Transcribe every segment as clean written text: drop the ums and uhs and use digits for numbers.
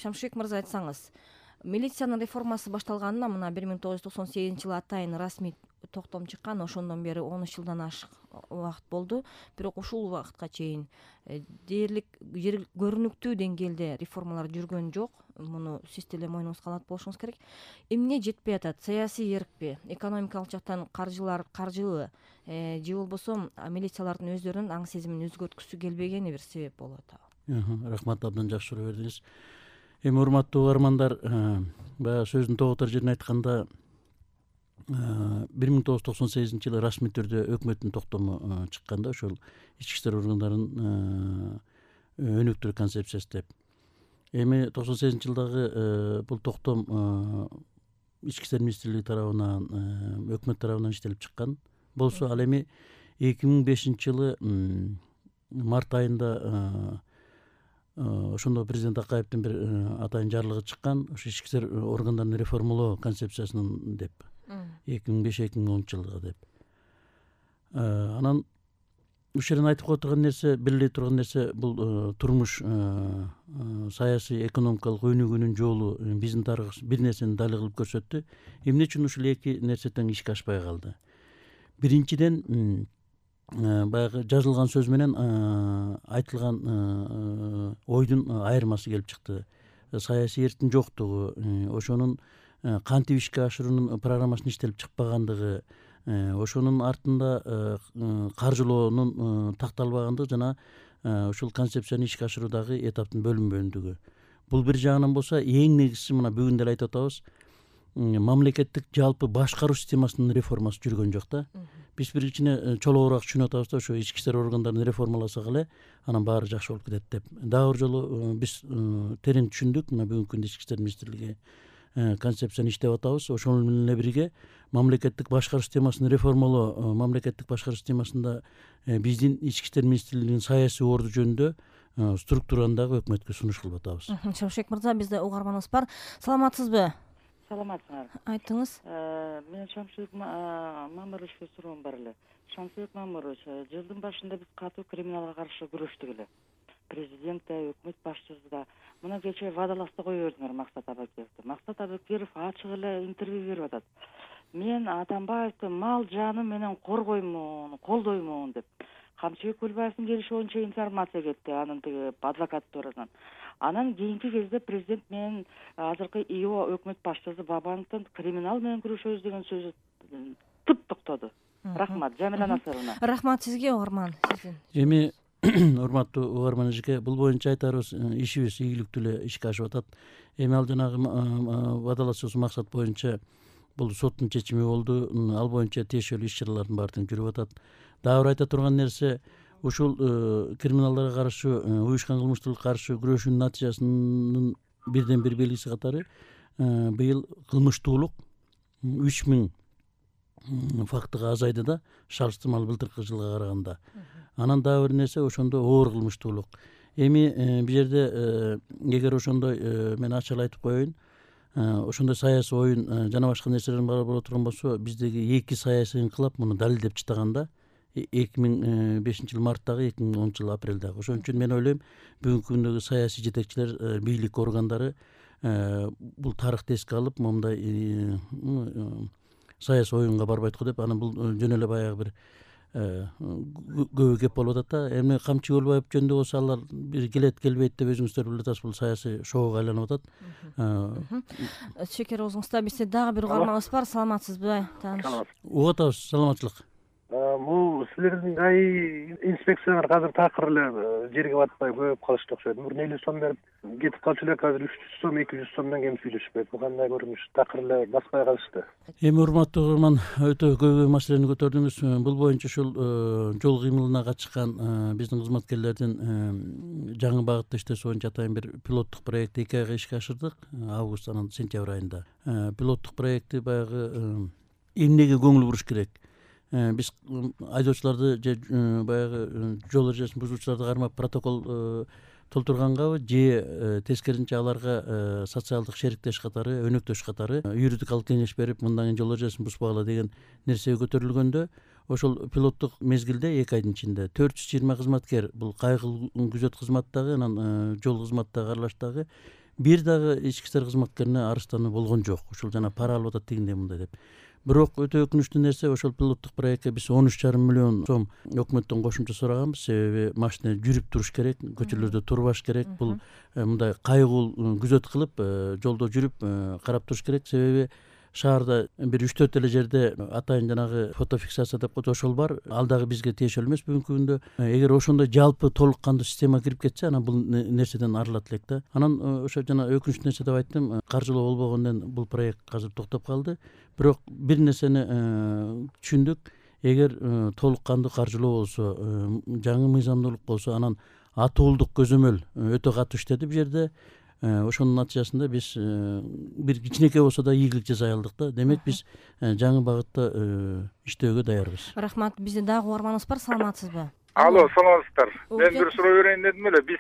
Шамшыбек мырза, айтсаңыз, милициянын реформасы башталганына мына 1998-жылы атайын расмий токтом чыккан, ошондон бери 13 жылдан ашык убакыт болду. Бирок ушул убакытка чейин дээрлик көрүнүктүү деңгээлде реформалар жүргөн жок. Муну сиз деле мойнуңузга алат болушуңуз керек. Эмне жетпей атат? Саясий эркпи, экономикалык жактан каржылы же болбосо милициялардын өздөрүнүн аң сезимин өзгөрткүсү келбегени бир себеп болуп атабы? Рахмат, абдан жакшы суроо бердиңиз. Эми урматтуу угармандар, баягы сөздүн тоготор жерин айтканда 1998-жылы расмий түрдө өкмөттүн токтому чыкканда, ошол ички иштер органдарынын өнүктүрүү концепциясы деп. Эми 98-жылдагы бул токтом ички иштер министрлиги тарабынан, өкмөт тарабынан иштелип чыккан болсо, ал эми 2005-жылы март айында ошондо президент Акаевдин бир атайын жарлыгы чыккан, ошо ички иштер органдарын реформалоо концепциясынын деп 2005-2010 жылга деп. Анан ушул жерден айтып кое турган нерсе, биле турган нерсе, бул турмуш, саясий, экономикалык өнүгүүнүн жолу биздин тарыхыбыз бир нерсени далил кылып көрсөттү. Эмне үчүн ушул эки нерсе тең ишке ашпай калды? Биринчиден, баягы жазылган сөз менен айтылган ойдун айырмасы келип чыкты. Саясий эрктин жоктугу, ошонун кантип ишке ашыруунун программасынын иштелип чыкпагандыгы, ошонун артында каржылоонун такталбагандыгы жана ушул концепцияны ишке ашыруудагы этаптын бөлүнбөгөндүгү. Бул бир жагынан болсо, эң негизгиси мына бүгүн деле айтып атабыз, мамлекеттик жалпы башкаруу системасынын реформасы жүргөн жок да. Биз бир кичине чолоогураак түшүнүп атабыз да, ошо ички иштер органдарын реформаласак эле анан баары жакшы болуп кетет деп. Дагы бир жолу биз терең түшүндүк. Мына бүгүнкү күндө ички иштер министрлиги концепцияны иштеп атабыз. Ошол менен эле бирге мамлекеттик башкаруу системасын реформалоо, мамлекеттик башкаруу системасында биздин ички иштер министрлигинин саясий орду жөнүндө структураны дагы өкмөткө сунуш кылып атабыз. Шамшыбек мырза, бизде угарманыбыз бар. Саламатсызбы? Саламатсыңар. Айтыңыз. Мен Шамшыбек Мамыровичке суроом бар эле. Шамшыбек Мамырович, жылдын башында биз катуу криминалга каршы күрөштүк эле. Президент да, өкмөт башчысы да. Мына кечээ вадалашты кое бердиңер Максат Абакеровди. Максат Абакеров ачык эле интервью берип атат. Мен Атамбаевди мал жаным менен коргоймун, колдоймун деп. Камчыбек Көлбаевдин келиши боюнча информация кетти анын тиги адвокатурадан. Анан кийинки кезде президент менен азыркы ИО өкмөт башчысы Бабановдун криминал менен күрөшөбүз деген сөзү тып токтоду. Рахмат, Жамила Насыровна. Рахмат сизге, угарман. Эми урматтуу угарман эжеке, бул боюнча айтарыбыз, ишибиз ийгиликтүү эле ишке ашып атат. Эми ал жанагы вадалашуусу максат боюнча бул соттун чечими болду. Ал боюнча тиешелүү иш чаралардын баары тең жүрүп атат. Дагы бир айта турган нерсе, ушул криминалдарга каршы, уюшкан кылмыштуулукка каршы күрөшүүнүн натыйжасынын бирден бир белгиси катары быйыл кылмыштуулук 3000 фактыга азайды да, салыштырмалуу былтыркы жылга караганда. Анан дагы бир нерсе, ошондо оор кылмыштуулук. Эми бул жерде эгер ошондой мен ачык айтып коеюн, ошондой саясий оюн жана башка нерселердин баары боло турган болсо, биздеги эки саясий инкылап муну далилдеп чыктаганда 2005-жыл марттагы, 2010-жыл апрелдагы. Ошон үчүн мен ойлойм, бүгүнкү күндөгү саясий жетекчилер, бийлик органдары бул тарыхты эске алып, момундай саясий оюнга барбайт го деп, анан бул жөн эле баягы бир көбү кеп болуп атат да. Эми Камчы Көлбаев жөнүндө болсо, алар бир келет келбейт деп өзүңүздөр билип атасыз, бул саясий шоуга айланып атат. Шекер оозуңузда. Бизде дагы бир угарманыбыз бар. Саламатсызбы? Угуп атабыз, саламатчылык. Бул силердин АИ инспекциялар азыр такыр эле жерге батпай көбөйүп калышты окшойт. Мурун 50 сом берип кетип калчу эле, азыр 300 сом, 200 сомдон кем сүйлөшпөйт. Бул кандай көрүнүш? Такыр эле баспай калышты. Эми урматтуу угарман, өтө көйгөй маселени көтөрдүңүз. Бул боюнча ушул жол кыймылына катышкан биздин кызматкерлердин жаңы багытта иштөөсү боюнча атайын бир пилоттук проектти 2 айга ишке ашырдык. Август анан сентябрь айында. Пилоттук проектти баягы эмнеге көңүл буруш керек? Биз айдоочуларды же баягы жол эрежесин бузуучуларды кармап протокол толтургангабы, же тескерисинче аларга социалдык шериктеш катары, өнөктөш катары юридикалык кеңеш берип, мындан кийин жол эрежесин бузбагыла деген нерсе көтөрүлгөндө, ошол пилоттук мезгилде 2 айдын ичинде 420 кызматкер, бул кайгылуу күзөт кызматтагы, анан жол кызматтагы аралаштагы бир дагы ички иштер кызматкерине арыздануу болгон жок. Ушул жана пара алып атат дегендей мындай деп. Бирок өтө өкүнүчтүү нерсе, ошол пилоттук проектке биз 13,5 миллион сом өкмөттөн кошумча сураганбыз. Себеби машина жүрүп туруш керек, көчөлөрдө турбаш керек. Бул мындай кайгыл күзөт кылып, жолдо жүрүп карап туруш керек. Себеби шаарда бир 3-4 эле жерде атайын жанагы фотофиксация деп коет, ошол бар. Ал дагы бизге тиешелүү эмес бүгүнкү күндө. Эгер ошондой жалпы толук кандуу система кирип кетсе, анан бул нерседен арылат элек да. Анан ошо жана өкүнүчтүү нерсе деп айттым, каржылоо болбогондон бул проект азыр токтоп калды. Бирок бир нерсени түшүндүк. Эгер толук кандуу каржылоо болсо, жаңы мыйзамдуулук болсо, анан атуулдук көзөмөл өтө катуу иштеди бул жерде. Ошонун натыйжасында биз бир кичинекей болсо да ийгилик жасай алдык да. Демек биз жаңы багытта иштөөгө даярбыз. Рахмат. Бизде дагы угарманыбыз бар, саламатсызбы? Алло, саламатсыздар. Мен бир суроо берейин дедим эле. Биз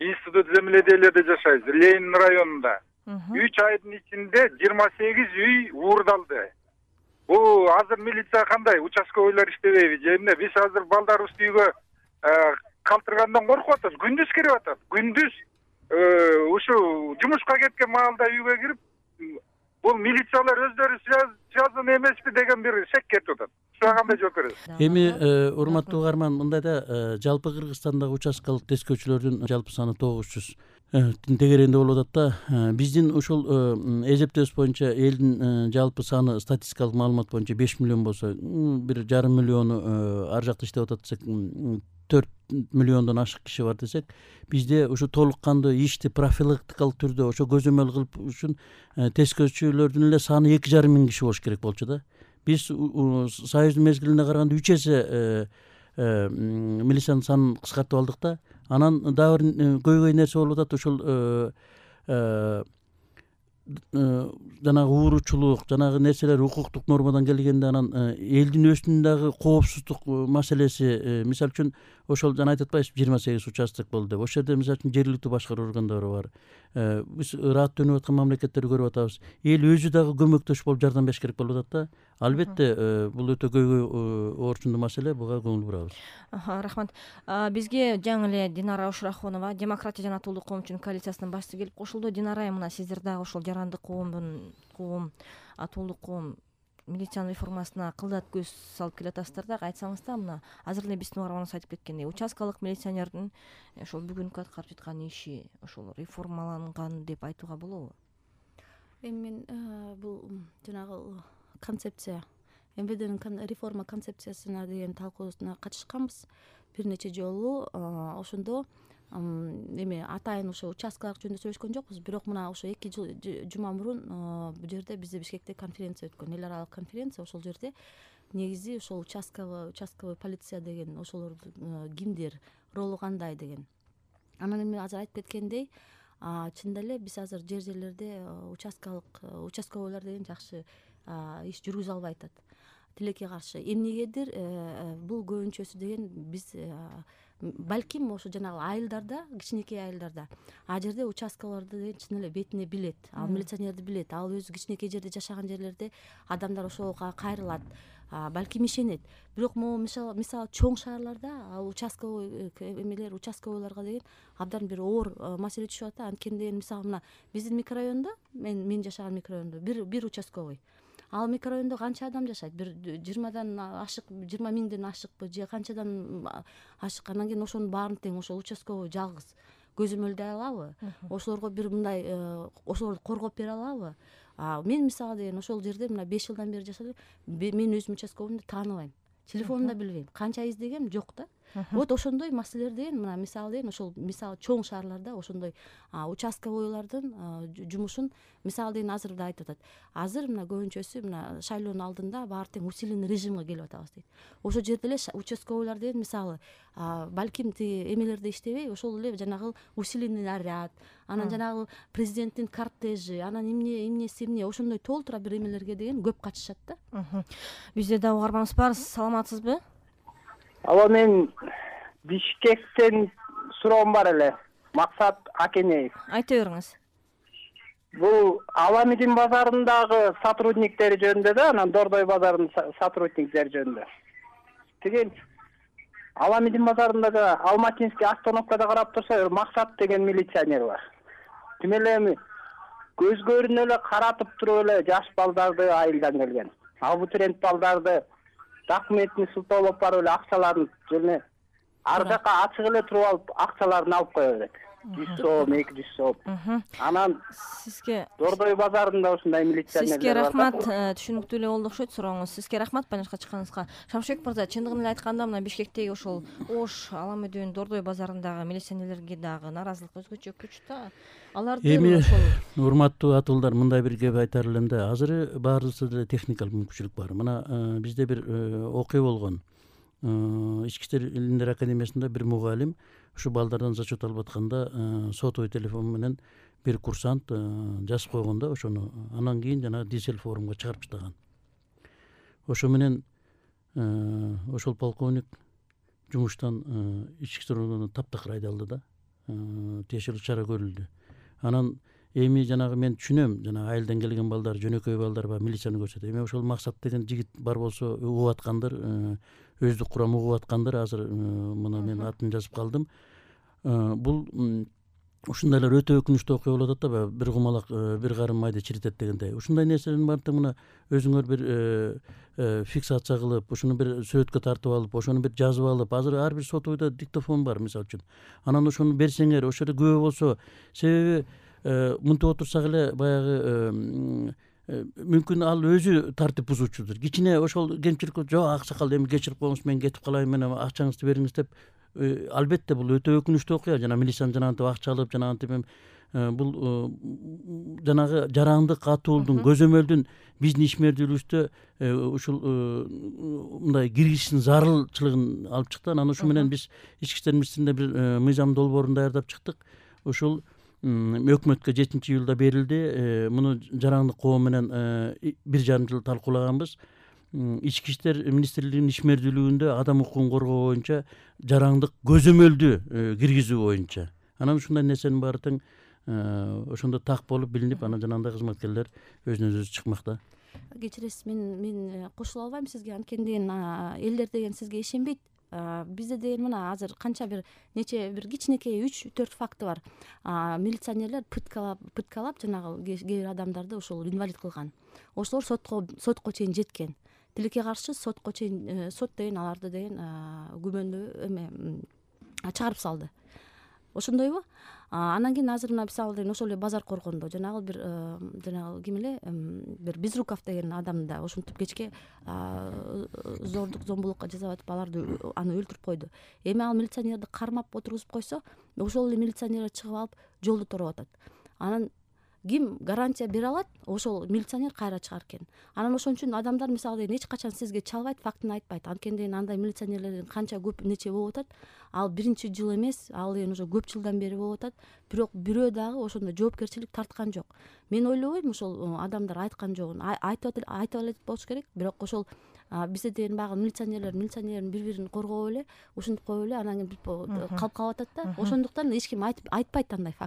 институт земледелиеде жашайбыз, Ленин районунда. 3 айдын ичинде 28 үй уурдалды. Бул азыр милиция кандай? Участковыйлар иштебейби же эмне? Биз азыр балдарыбызды үйгө калтыргандан коркуп атабыз. Күндүз кирип атат. Күндүз ушу жумушка кеткен маалда үйгө кирип, бул милициялар өздөрү связан эмеспи деген бир шек кетип атат. Ушуга кандай жооп бересиз? Эми урматтуу угарман, мындай да жалпы Кыргызстандагы участкалык тескөөчүлөрдүн жалпы саны 900 тегеренде болуп атат да. Биздин ушул эсептөөбүз боюнча элдин жалпы саны статистикалык маалымат боюнча 5 миллион болсо, 1,5 миллиону ар жакта иштеп атат десек, 4 миллиондон ашык киши бар десек, бизде ушу толук кандуу ишти профилактикалык түрдө ошо көзөмөл кылып үчүн тескөөчүлөрдүн эле саны 2,5 миң киши болуш керек болчу да. Биз союздун мезгилине караганда 3 эсе милициянын санын кыскартып алдык да. Анан дагы бир көйгөй нерсе болуп атат. Ошол жанагы ууручулук, жанагы нерселер укуктук нормадан келгенде анан элдин өзүнүн дагы коопсуздук маселеси, мисалы үчүн ошол жана айтып атпайсызбы, 28 участок болду деп. Ошол жерде мисалы үчүн жергиликтүү башкаруу органдары бар. Биз ыраттөнүп аткан мамлекеттерди көрүп атабыз. Эл өзү дагы көмөктөш болуп жардам бериш керек болуп атат да. Албетте бул өтө көйгөй орчундуу маселе, буга көңүл бурабыз. Рахмат. Бизге жаңы эле Динара Ушрахонова, Демократия жана Атуулдук коомчунун коалициясынын башчысы келип кошулду. Динара, мына сиздер дагы ошол жарандык коом, атуулдук коом милициянын реформасына кылдат көз салып келатасыздар да. Айтсаңыз да, мына азыр эле биздин угарманыбыз айтып кеткендей, участкалык милиционердин ошол бүгүнкү аткарып жаткан иши ошол реформаланган деп айтууга болобу? Эми мен бул жанагы концепция, МВДнин реформа концепциясына деген талкуусуна катышканбыз бир нече жолу. Ошондо эми атайын ошо участкалык жөнүндө сүйлөшкөн жокпуз, бирок мына ошо 2 жума мурун бул жерде бизде Бишкекте конференция өткөн, эл аралык конференция. Ошол жерде негизи ошол участковый полиция деген ошолордун кимдер, ролу кандай деген. Анан эми азыр айтып кеткендей, чынында эле биз азыр жерлерде участковыйлар деген жакшы иш жүргүзө албай атат. Тилекке каршы. Эмнегедир бул көбүнчөсү деген биз балким ошо жанагы айылдарда, кичинекей айылдарда, жерде участкаларды деген чын эле бетине билет, ал милиционерди билет, ал өзү кичинекей жерде жашаган жерлерде адамдар ошого кайрылат, балким ишенет. Бирок могу мисалы чоң шаарларда ал участковыйларга деген абдан бир оор маселе түшүп атат. Анткени деген мисалы мына биздин микрорайондо, мен жашаган микрорайондо бир участковый. Ал микрорайондо канча адам жашайт? Бир 20 ашык, 20 миңден ашыкпы же канчадан ашык? Анан кийин ошонун баарын тең ошол участковый жалгыз көзөмөлдөй алабы? Ошолорго бир мындай ошолорду коргоп бере алабы? Мен мисалы деген ошол жерде мына 5 жылдан бери жашадым. Мен өзүм участковыймду тааныбайм. Телефонун да билбейм. Канча издегем жок да. Вот ошондой маселелер деген мына мисалы деген ошол мисалы чоң шаарларда ошондой участковыйлардын жумушун мисалы деген азыр да айтып атат. Азыр мына көбүнчөсү мына шайлоонун алдында баары тең усиленный режимге келип атабыз дейт. Ошол жерде эле участковыйлар деген мисалы балким тиги эмелерде иштебей, ошол эле жанагы усиленный наряд, анан жанагы президенттин кортежи, анан эмне ошондой толтура бир эмелерге деген көп катышат да. Бизде да угарманыбыз бар, саламатсызбы? Алло, мен Бишкектен суроом бар эле. Максат Акенеев. Айта бериңиз. Бул Аламидин базарындагы сотрудниктери жөнүндө да, анан Дордой базарынын сотрудниктери жөнүндө. Деген Аламидин базарындагы Алматинский остановкада карап турса, Максат деген милиционер бар. Тим эле эми көзгөрүнө эле каратып туруп эле жаш балдарды айылдан келген абитуриент балдарды документин сылтоолоп барып эле акчаларын және ар жака ачык эле туруп алып акчаларын алып кое берет. 100 сом, 200 сом. Анан сизге Дордой базарында ушундай милиционерлер бар. Сизге рахмат, түшүнүктүү эле болду окшойт сурооңуз. Сизге рахмат байланышка чыкканыңызга. Шамшыбек мырза, чындыгын эле айтканда мына Бишкектеги ошол Ош, Ала Медеөнүн Дордой базарындагы милиционерлерге дагы нааразылык өзгөчө күч да. Аларды ошол урматтуу атуулдар, мындай бир кеп айтар элем да. Азыр баарыбызда деле техникалык мүмкүнчүлүк бар. Мына бизде бир окуя болгон. Ички иштер илимдер академиясында бир мугалим ушу балдардан зачет алып атканда сотовый телефон менен бир курсант жазып койгон да ошону. Анан кийин жана дизель форумга чыгарып таштаган. Ошо менен ошол полковник жумуштан ички иштер органына таптакыр айдалды да. Тиешелүү чара көрүлдү. Анан эми жанагы мен түшүнөм, жана айылдан келген балдар, жөнөкөй балдар бар, милицияны көрсөтөт. Эми ошол Максат деген жигит бар болсо угуп аткандыр, өздүк курам угуп аткандыр. Азыр мына мен атын жазып калдым. Бул ушундайлар өтө өкүнүчтүү окуя болуп атат да, бир кумалак бир карым майда чиритет дегендей. Ушундай нерселердин баардыгы мына өзүңөр бир фиксация кылып, ушуну бир сүрөткө тартып алып, ошону бир жазып алып, азыр ар бир сотовойдо диктофон бар мисалы үчүн. Анан ошону берсеңер, ошол жерде күбө болсо, себеби мынтип отурсак эле баягы мүмкүн ал өзү тартип бузуучудур. Кичине ошол кемчилик жок аксакал эми кечирип коюңуз, мен кетип калайын, мен акчаңызды бериңиз деп. Албетте бул өтө өкүнүчтүү окуя. Жана милициянын жанагынтип акча алып, жанагынтип бул жанагы жарандык атуулдун, көзөмөлдүн биздин ишмердүүлүгүбүздө ушул мындай киргизиштин зарылчылыгын алып чыкты. Анан ушу менен биз ички иштер министрлигинде бир мыйзам долбоорун даярдап чыктык. Ушул өкмөткө 7-июлда берилди. Муну жарандык коом менен 1,5 жыл талкуулаганбыз. Ички иштер министрлигинин ишмердүүлүгүндө адам укугун коргоо боюнча жарандык көзөмөлдү киргизүү боюнча. Анан ушундай нерсенин баары тең ошондо так болуп билинип, анан жанагындай кызматкерлер өзүнөн өзү чыкмакта. Кечиресиз, мен кошула албайм сизге, анткени элдер деген сизге ишенбейт. Бизде деген мына азыр канча бир нече бир кичинекей 3-4 факты бар. Милиционерлер пыткалап жанагы кээ бир адамдарды ошол инвалид кылган. Ошолор сотко чейин жеткен. Тилекке каршы сотко чейин, сот деген аларды деген күбөндө чыгарып салды. Ошондойбу? Анан кийин азыр мына мисалы деген ошол эле базар коргондо жанагы бир жанагы ким эле бир Безруков деген адамды да ошентип кечке зордук, зомбулукка жазап атып аларды аны өлтүрүп койду. Эми ал милиционерди кармап отургузуп койсо, ошол эле милиционерлер чыгып алып жолду тороп атат. Анан ким гарантия бере алат? Ошол милиционер кайра чыгар экен. Анан ошон үчүн адамдар мисалы эч качан сизге чалбайт, фактын айтпайт. Анткени андай милиционерлердин канча көп нече болуп атат. Ал биринчи жыл эмес, ал эми уже көп жылдан бери болуп атат. Бирок бирөө дагы ошондо жоопкерчилик тарткан жок. Мен ойлобойм ошол адамдар айткан жогун. Айтып эле болуш керек, бирок ошол бизде деген багы милиционерлердин бири-бирин коргоп эле, ушинтип коюп эле анан кийин калып атат да. Ошондуктан эч ким айтпайт андай факт.